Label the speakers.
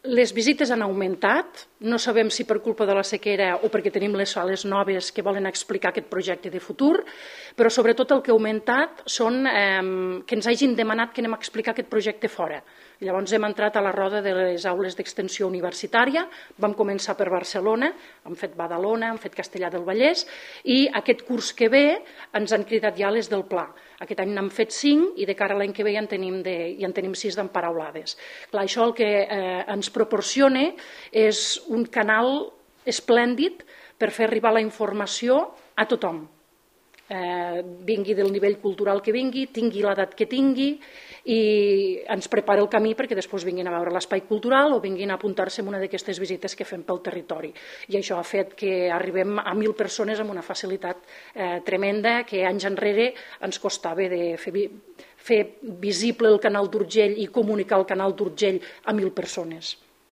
Speaker 1: Les visites han augmentat, no sabem si per culpa de la sequera o perquè tenim les sales noves que volen explicar aquest projecte de futur, però sobretot el que ha augmentat són que ens hagin demanat que anem a explicar aquest projecte fora. Llavors hem entrat a la roda de les aules d'extensió universitària, vam començar per Barcelona, hem fet Badalona, hem fet Castellar del Vallès i aquest curs que ve ens han cridat ja les del Pla. Aquest any n'hem fet 5 i de cara a l'any que ve ja en tenim 6 d'emparaulades. Clar, això el que ens proporciona és un canal esplèndid per fer arribar la informació a tothom. Vingui del nivell cultural que vingui, tingui l'edat que tingui i ens prepara el camí perquè després vinguin a veure l'espai cultural o vinguin a apuntar-se en una d'aquestes visites que fem pel territori. I això ha fet que arribem a 1.000 persones amb una facilitat tremenda que anys enrere ens costava de fer visible el canal d'Urgell i comunicar el canal d'Urgell a 1.000 persones.